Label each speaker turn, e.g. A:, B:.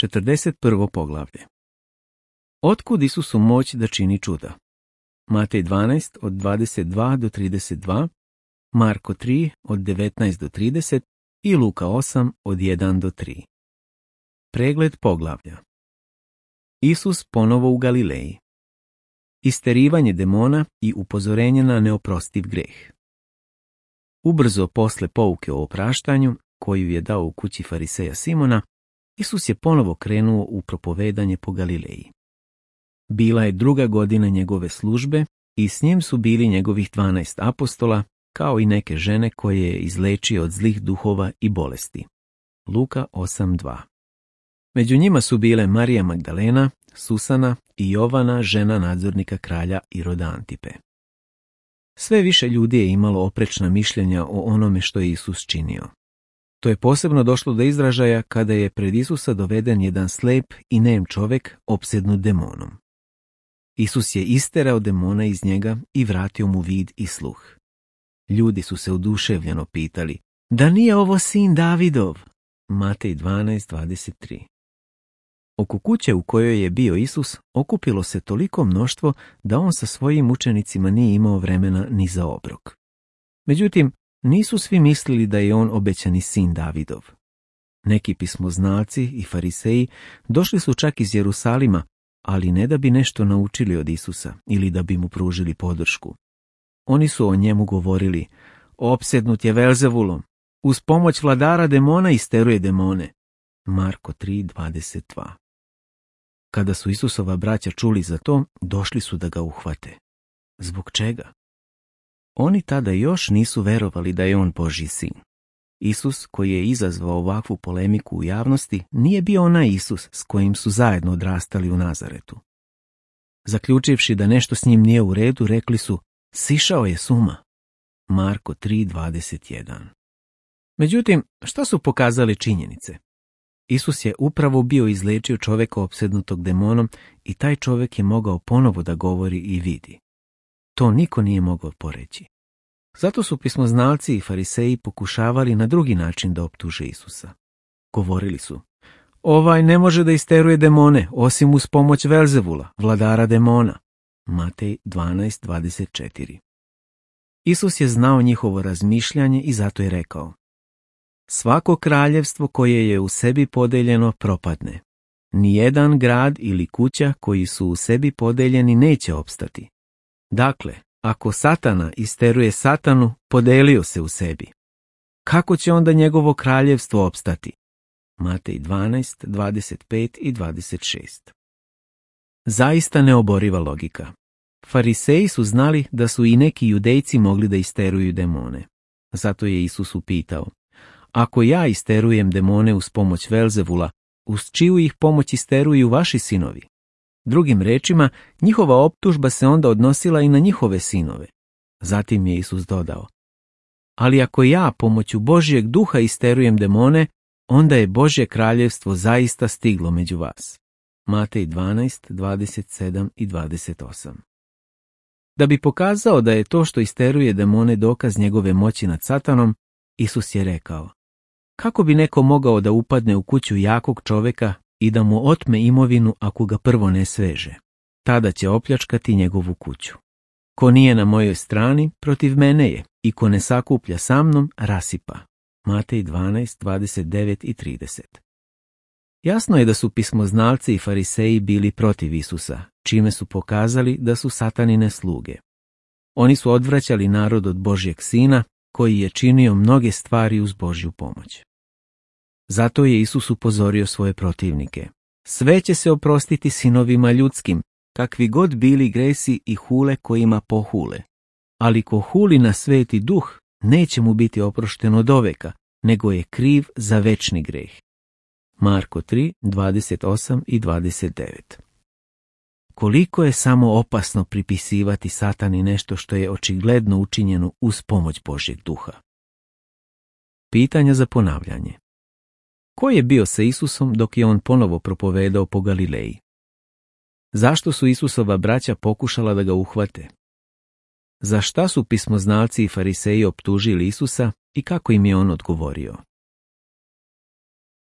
A: 41. poglavlje. Otkud Isusu moć da čini čuda? Matej 12 od 22 do 32, Marko 3 od 19 do 30 i Luka 8 od 1 do 3. Pregled poglavlja. Isus ponovo u Galileji. Isterivanje demona i upozorenje na neoprostiv greh. Ubrzo posle pouke o opraštanju, koju je dao u kući fariseja Simona, Isus je ponovo krenuo u propovedanje po Galileji. Bila je 2. godina njegove službe i s njim su bili njegovih 12 apostola, kao i neke žene koje je izlečio od zlih duhova i bolesti. Luka 8.2. Među njima su bile Marija Magdalena, Susana i Jovana, žena nadzornika kralja Iroda Antipe. Sve više ljudi je imalo oprečna mišljenja o onome što je Isus činio. To je posebno došlo do izražaja kada je pred Isusa doveden jedan slep i nem čovjek opsednut demonom. Isus je isterao demona iz njega i vratio mu vid i sluh. Ljudi su se oduševljeno pitali, da nije ovo sin Davidov? Matej 12.23. Oko kuće u kojoj je bio Isus okupilo se toliko mnoštvo da on sa svojim učenicima nije imao vremena ni za obrok. Međutim, nisu svi mislili da je on obećani sin Davidov. Neki pismoznalci i fariseji došli su čak iz Jerusalima, ali ne da bi nešto naučili od Isusa ili da bi mu pružili podršku. Oni su o njemu govorili, opsednut je Velzevulom, uz pomoć vladara demona isteruje demone. Marko 3.22. Kada su Isusova braća čuli za to, došli su da ga uhvate. Zbog čega? Oni tada još nisu verovali da je on Božji sin. Isus, koji je izazvao ovakvu polemiku u javnosti, nije bio onaj Isus s kojim su zajedno odrastali u Nazaretu. Zaključivši da nešto s njim nije u redu, rekli su, sišao je s uma. Marko 3.21. Međutim, šta su pokazale činjenice? Isus je upravo bio izlečio čovjeka opsednutog demonom i taj čovjek je mogao ponovo da govori i vidi. To niko nije mogao poreći. Zato su pismoznalci i fariseji pokušavali na drugi način da optuže Isusa. Govorili su, ovaj ne može da isteruje demone, osim uz pomoć Velzevula, vladara demona. Matej 12.24. Isus je znao njihovo razmišljanje i zato je rekao, svako kraljevstvo koje je u sebi podeljeno propadne. Nijedan grad ili kuća koji su u sebi podeljeni neće opstati. Dakle, ako Satana isteruje Satanu, podelio se u sebi. Kako će onda njegovo kraljevstvo opstati? Matej 12.25 i 26. Zaista neoboriva logika. Fariseji su znali da su i neki judejci mogli da isteruju demone. Zato je Isus upitao, ako ja isterujem demone uz pomoć Velzevula, uz čiju ih pomoć isteruju vaši sinovi? Drugim rečima, njihova optužba se onda odnosila i na njihove sinove. Zatim je Isus dodao, ali ako ja pomoću Božjeg duha isterujem demone, onda je Božje kraljevstvo zaista stiglo među vas. Matej 12.27 i 28. Da bi pokazao da je to što isteruje demone dokaz njegove moći nad Satanom, Isus je rekao, kako bi neko mogao da upadne u kuću jakog čovjeka i da mu otme imovinu ako ga prvo ne sveže? Tada će opljačkati njegovu kuću. Ko nije na mojoj strani, protiv mene je, i ko ne sakuplja sa mnom, rasipa. Matej 12.29 i 30. Jasno je da su pismoznalci i fariseji bili protiv Isusa, čime su pokazali da su satanine sluge. Oni su odvraćali narod od Božjeg sina, koji je činio mnoge stvari uz Božju pomoć. Zato je Isus upozorio svoje protivnike. Sve će se oprostiti sinovima ljudskim, kakvi god bili gresi i hule kojima pohule. Ali ko huli na sveti duh, neće mu biti oprošteno doveka, nego je kriv za večni greh. Marko 3.28 i 29. Koliko je samo opasno pripisivati Satani nešto što je očigledno učinjeno uz pomoć Božjeg duha. Pitanja za ponavljanje. Ko je bio sa Isusom dok je on ponovo propovedao po Galileji? Zašto su Isusova braća pokušala da ga uhvate? Za šta su pismoznalci i fariseji optužili Isusa i kako im je on odgovorio?